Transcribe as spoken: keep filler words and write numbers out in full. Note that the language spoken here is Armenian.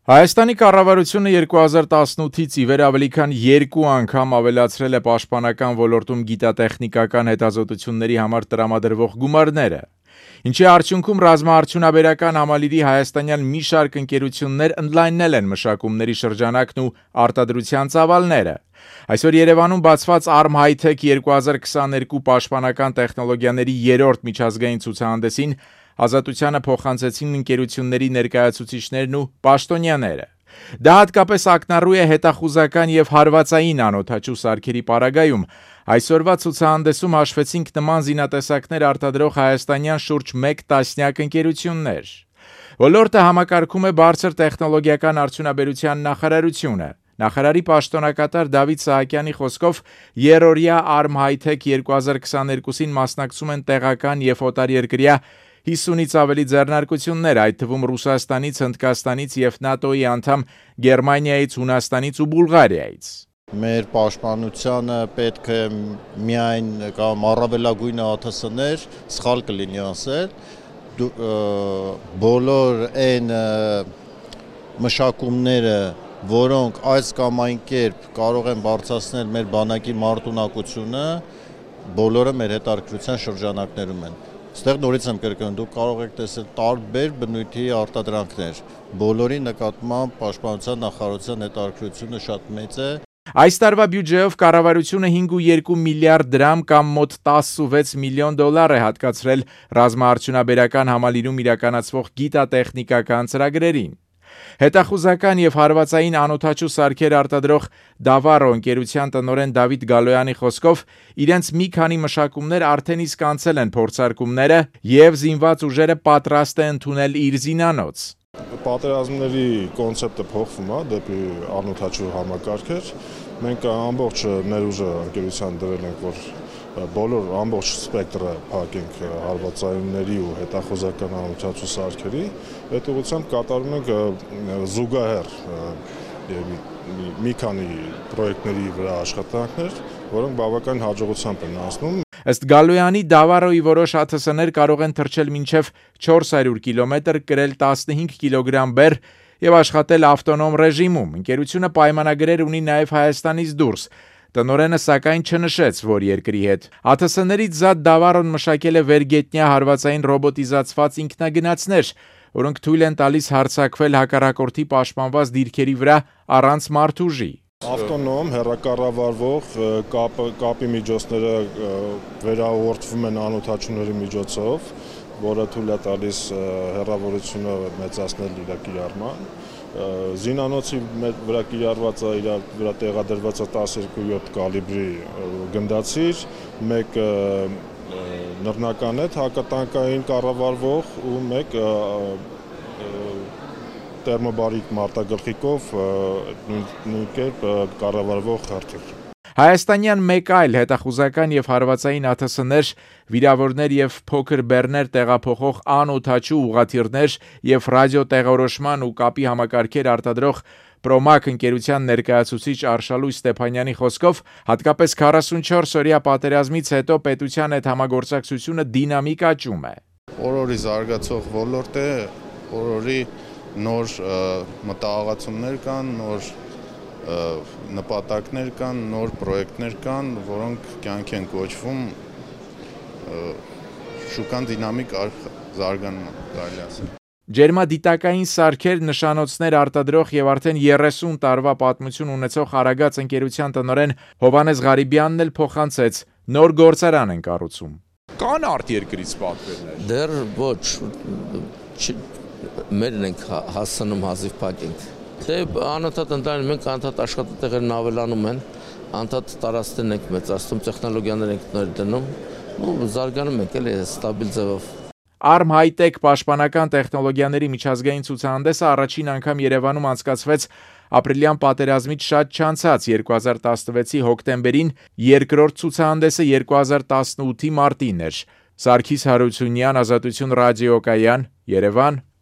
Հայաստանի կառավարությունը երկու հազար տասնութից ի վեր ավելի քան երկու անգամ ավելացրել է պաշտպանական ոլորտում գիտատեխնիկական հետազոտությունների համար տրամադրվող գումարները, ինչի արդյունքում ռազմաարդյունաբերական համալիրի հայաստանյան մի շարք ընկերություններ ընդլայնել են մշակումների շրջանակն ու արտադրության ծավալները։ Այսօր Երևանում բացված Arm High-Tech երկու հազար քսաներկու պաշտպանական տեխնոլոգիաների երրորդ միջազգային ցուցահանդեսին ազատությանը փոխանցեցին ընկերությունների ներկայացուցիչներն ու պաշտոնյաները։ Դա հատկապես ակնառու է հետախուզական եւ հարվածային անօդաչու սարքերի պարագայում։ Այսօրվա ցուցահանդեսում հաշվեցինք նման զինատեսակներ արտադրող հայաստանյան շուրջ մեկ տասնյակ ընկերություններ։ Ոլորտը համակարգում է բարձր տեխնոլոգիական արդյունաբերության նախարարությունը։ Նախարարի պաշտոնակատար Դավիթ Սահակյանի խոսքով երրորդյա Arm High-Tech երկու հազար քսաներկուսին մասնակցում են տեղական եւ օտարերկրյա հիսունից ավելի ձեռնարկություններ, այդ թվում Ռուսաստանից, Հնդկաստանից եւ ՆԱՏՕ-ի անդամ Գերմանիայից, Հունաստանից ու Բուլղարիայից։ Մեր պաշտպանությանը պետք է միայն կամ առավելագույնը ԱԹՍ-ներ, սխալ կլինի ասել, բոլոր այն մշակումները, որոնք այս կամ այն կերպ կարող են բարձրացնել մեր բանակի մարտունակությունը, բոլորը մեր հետաքրքրության շրջանակներում են։ Ստեղ նորից եմ կրկնում, դուք կարող եք տեսնել տարբեր բնույթի արտադրանքներ, բոլորի նկատմամբ պաշտպանության նախարարության հետաքրքրությունը շատ մեծ է։ Այս տարվա բյուջեով կառավարությունը հինգ կόμμα երկու միլիարդ դրամ կամ մոտ տասնվեց միլիոն դոլար է հատկացրել ռազմաարդյունաբերական համալիրում իրականացվող գիտատեխնիկական ծրագրերին։ Հետախուզական եւ հարվածային անօդաչու սարքեր արտադրող Davaro ընկերության տնօրեն Դավիթ Գալոյանի խոսքով իրենց մի քանի մշակումներ արդեն իսկ անցել են փորձարկումները եւ զինված ուժերը պատրաստ է ընդունել իր զինանոց։ Պատերազմների կոնցեպտը փոխվում է դեպի անօդաչու համակարգեր։ Մենք ամբողջ ներուժը ընկերության դրել ենք, որ բոլոր ամբողջ սպեկտրը փակենք հարվածայինների ու հետախուզական անօդաչու սարքերի, այդ ուղղությամբ կատարում ենք զուգահեռ մի քանի պրոյեկտների վրա աշխատանքներ, որոնք բավական հաջողությամբ են անցնում։ Ըստ Գալոյանի, Davaro-ի որոշ ԱԹՍ-ներ կարող են թռչել մինչև չորս հարյուր կիլոմետր, կրել տասնհինգ կիլոգրամ բեռ եւ աշխատել ավտոնոմ ռեժիմում։ Ընկերությունը պայմանագրեր ունի նաեւ Հայաստանից դուրս։ Տնօրենը սակայն չնշեց, որ երկրի հետ։ ԱԹՍ-ներից զատ Davaro-ն մշակել է վերգետնյա հարվածային ռոբոտիզացված ինքնագնացներ, որոնք թույլ են տալիս հարձակվել հակառակորդի պաշտպանված դիրքերի վրա առանց մարդուժի։ Ավտոնոմ հեռակառավարվող կապ, կապի միջոցները վերաուղղորդվում են անօդաչուների միջոցով, որը թույլ է տալիս հեռավորությունը մեծացնել իր կիրառման։ Զինանոցի վրա կիրառված է, իր վրա տեղադրված է տասնյոթ յոթ կալիբրի գնդացիր, մեկ նռնական է հակատանկային կառավարվող ու մեկ տերմոբարիկ մարտագլխիկով նույն կերպ կառավարվող հրթիռ։ Հայաստանյան մեկ այլ հետախուզական եւ հարվածային ԱԹՍ-ներ, վիրավորներ եւ փոքր բեռներ տեղափոխող անօդաչու ուղղաթիռներ եւ ռադիոտեղորոշման ու կապի համակարգեր արտադրող Promac ընկերության ներկայացուցիչ Արշալույս Ստեփանյանի խոսքով, հատկապես քառասունչորս օրյա պատերազմից հետո պետության հետ համագործակցությունը դինամիկ աճում է։ Օրորի զարգացող ոլորտ է, օրորի նոր մտահղացումներ կան, նոր նպատակներ կան, նոր պրոյեկտներ կան, որոնք կյանք են կոչվում, շուկան դինամիկ զարգանում է, կարելի ասել։ Ջերմադիտակային սարքեր, նշանոցներ արտադրող եւ արդեն երեսուն տարվա պատմություն ունեցող Արագած ընկերության տնօրեն Հովհաննես Ղարիբյանն էլ փոխանցեց, նոր գործարան են կառուցում։ Կան արտերկրից պատվերներ։ Դեռ ոչ, մերն ենք հասցնում հազիվ փակենք։ Դե անընդհատ ընդլայնում ենք, անընդհատ աշխատատեղերն ավելանում են, անընդհատ տարածքներն ենք մեծացնում, տեխնոլոգիաներ ենք նոր դնում, ու զարգանում ենք էլի ստաբիլ ձևով։ Arm High-Tech պաշտպանական տեխնոլոգիաների միջազգային ցուցահանդեսը առաջին անգամ Երևանում անցկացվեց ապրիլյան պատերազմից շատ չանցած երկու հազար տասնվեցի հոկտեմբերին, երկրորդ ցուցահանդեսը երկու հազար տասնութի մարտին էր։ Սարգիս Հարությունյան, Ազատություն ռադիոկայան, Երևան։